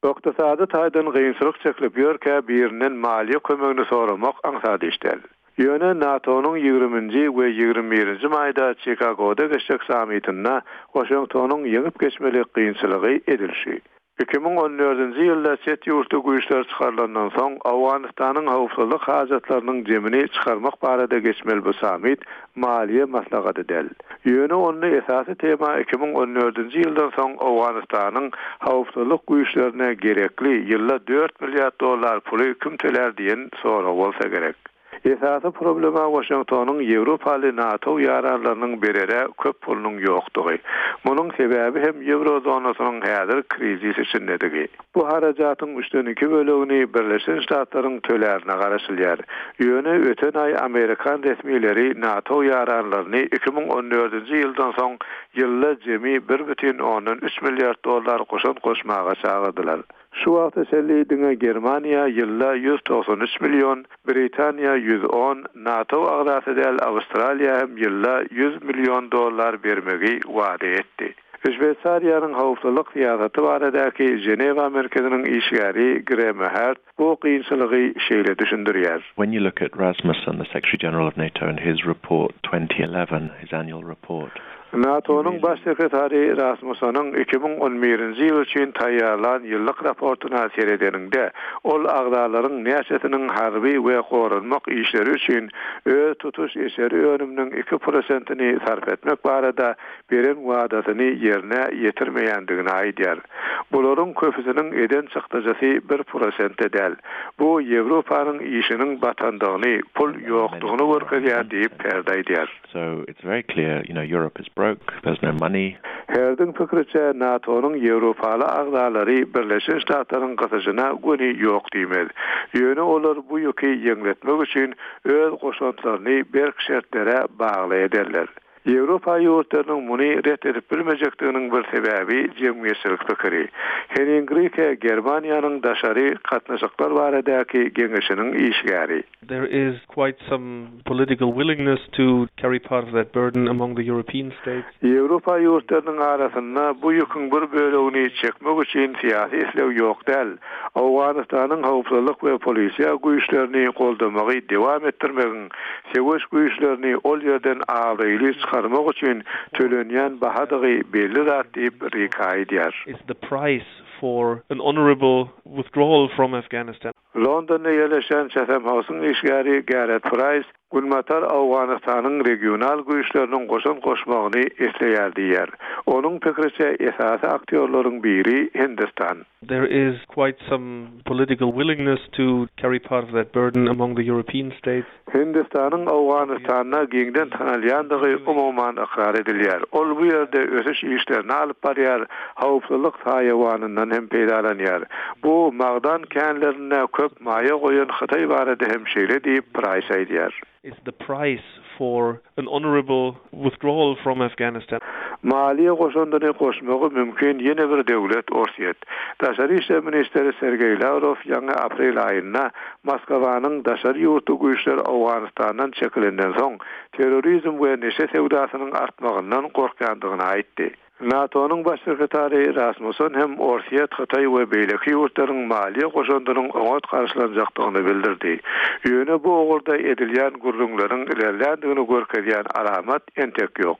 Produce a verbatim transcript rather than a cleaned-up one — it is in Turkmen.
Ykdysady taýdan kynçylyk çekilip ýörkä birinden maliýe kömegini soramak aňsat iş däl. Ýöne NATO-nyň ýigriminji we ýigrimi birinji maýda Çikagoda geçjek sammitinde Waşingtonyň ýeňip geçmeli kynçylygy edil şu. Iki müň on dördünji ýylda çet ýurtly güýçler çykarylandan soň Owganystanyň howpsuzlyk hajatlarynyň jemini çykarmak barada geçmeli bu sammit maliýe maslahaty däl. Ýöne onda esasy tema iki müň on dördünji ýyldan soň Owganystanyň howpsuzlyk güýçlerine gerekli ýylda dört milliard dollar puly kim tölär diýen sorag bolsa gerek. Esasy problema Waşingtonyň Ýewropaly NATO ýaranlarynyň berere köp pulunyň ýokdugy. Munuň sebäbi hem Ýewrozonasynyň häzir krizis içindedigi. Bu harajatyň üçden iki bölegini Birleşen Ştatlaryň tölärine garaşylýar. Ýöne öten aý Amerikan resmileri NATO ýaranlaryny iki müň on dördünji ýyldan soň ýylda jemi bir bütin ondan üç milliard dollar goşant goşmaga çagyrdylar. Şu wagta çenli diňe Germaniýa ýylda ýüz togsan üç million, Britaniýa ýüz on, NATO agzasy däl Awstraliýa hem ýylda ýüz million dollar bermegi wada etdi. Şweýsariýanyň howpsuzlyk syýasaty baradaky Ženewa merkeziniň işgäri Greme Hart bu kynçylygy şeýle düşündirýär. When you look at Rasmussen, the Secretary General of NATO, and his report twenty eleven, his annual report. NATO-nyň baş sekretary Rasmussenyň iki müň on birinji ýyl üçin taýýarlan ýyllyk raportuna seredeniňde, ol agzalaryň näçesiniň harby we goranmak işleri üçin öz tutuş içeri önüminiň iki prosentini sarp etmek barada beren wadasyny ýerine ýetirmeýändigini aýdýar. Bularyň köpüsiniň eden çykdajysy bir prosente däl. Bu Ýewropanyň işiniň batandygyny, pul ýokdugyny görkezýär diýip Herd aýdýar. So it's very clear, you know, Europe is broke, there's no money. Herdiň pikiriçe NATO-nyň Ýewropaly agzalary Birleşen Ştatlaryň gysyşyna göni ýok diýmez. Ýöne olar bu ýüki ýeňletmek üçin öz goşantlaryny berk şertlere bagly ederler. Ýewropa ýurtlarynyň muny ret edip bilmejekdiginiň bir sebäbi jemgyýetçilik pikiri. Henning Rike Germaniýanyň daşary gatnaşyklar baradaky geňeşiniň işgäri. There is quite some political willingness to carry part of that burden among the European states. Ýewropa ýurtlarynyň arasynda bu ýüküň bir bölegini çekmek üçin syýasy isleg ýok däl. Owganystanyň howpsuzlyk we polisiýa güýçlerini goldamagy dowam etdirmegiň, söweş güýçlerini ol ýerden abraýly çykarmak üçin tölenýän bahadygy belli zat diýip Rike aýdýar. Is the price for an honorable withdrawal from Afghanistan. Londonda ýerleşen Chatham House-yň işgäri Gareth Price Günbatar Owganystanyň regional güýçleriniň goşant goşmagyny isleýär diýär. Onuň pikiriçe esasy aktýorlaryň biri Hindistan. There is quite some political willingness to carry part of that burden among the European states. Hindistanyň Owganystanda giňden tanalýandygy umuman ykrar edilýär. Ol bu ýerde ösüş işlerini alyp barýar, howpsuzlyk saýawanyndan hem peýdalanýar. Bu magdan känlerine köp maýa goýan Hytaý barada hem şeýle diýip Price aýdýar. Is the price for an honorable withdrawal from Afghanistan. Maliýe goşandyny goşmagy mümkin ýene bir döwlet Orsýet. Daşary işler ministri Sergeý Lavrov ýaňy aprel aýynda Moskwanyň daşary ýurtly güýçler Owganystandan çekilenden soň terrorizm we neşe söwdasynyň artmagyndan gorkýandygyny aýtdy. NATO-nyň baş sekretary Rasmussen hem Orsýet, Hytaý we beýleki ýurtlaryň maliýe goşandynyň oňat garşylanjakdygyny bildirdi. Ýöne bu ugurda edilýän gürrüňleriň ilerländigini görkezýän alamat entek ýok.